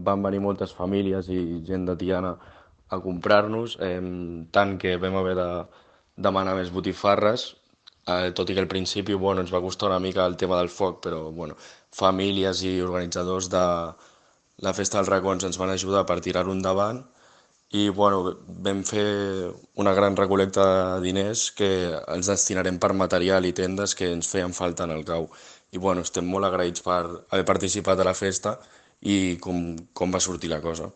van venir moltes famílies i gent de Tiana a comprar-nos, tant que vam haver de demanar més botifarres, tot i que al principi bueno, ens va costar una mica el tema del foc, però bueno, famílies i organitzadors de la Festa dels Racons ens van ajudar per tirar-ho endavant i bueno, vam fer una gran recol·lecta de diners que els destinarem per material i tendes que ens feien falta en el cau. I bueno, estem molt agraïts per haver participat a la festa i com va sortir la cosa.